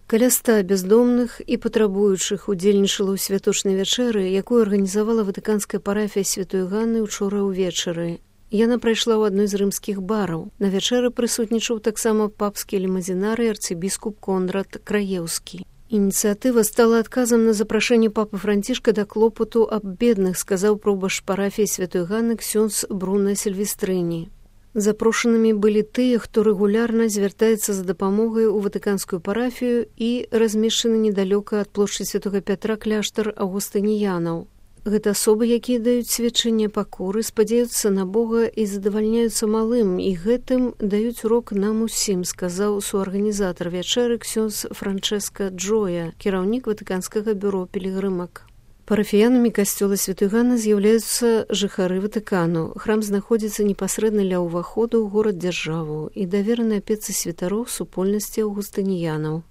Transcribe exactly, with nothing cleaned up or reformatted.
Каля ста бяздомных і патрабуючых удзельнічала ў святочнай вячэры, якую арганізавала ватыканская парафія святой Ганны учора ўвечары. Яна прайшла ў адной з рымскіх бараў. На вячэры прысутнічаў таксама папскі лімазінар і арцыбіскуп Конрад Краеўскі. Ініцыятыва стала адказам на запрашэнне папы Францішка да клопату аб бедных, сказаў прабашч парафіі святой Ганны ксёндз Бруно Сільвестрыні. Запрошанымі былі тыя, хто рэгулярна звяртаецца за дапамогай у ватыканскую парафію і размешчаны недалёка ад плошчы святога Пятра кляштар аўгустыніянаў. Гэта асобы, якія даюць сведчанне пакоры, спадзяюцца на Бога і задавальняюцца малым, і гэтым даюць урок нам усім, сказаў суарганізатар вячэры ксёндз Франчэска Джоя, кіраўнік ватыканскага бюро пілігрымак. Парафіянамі касцёла святой Ганны з'яўляюцца жыхары Ватыкану. Храм знаходзіцца непасрэдна ля ўваходу ў горад-дзяржаву і давераны апецы святароў супольнасці аўгустыніянаў.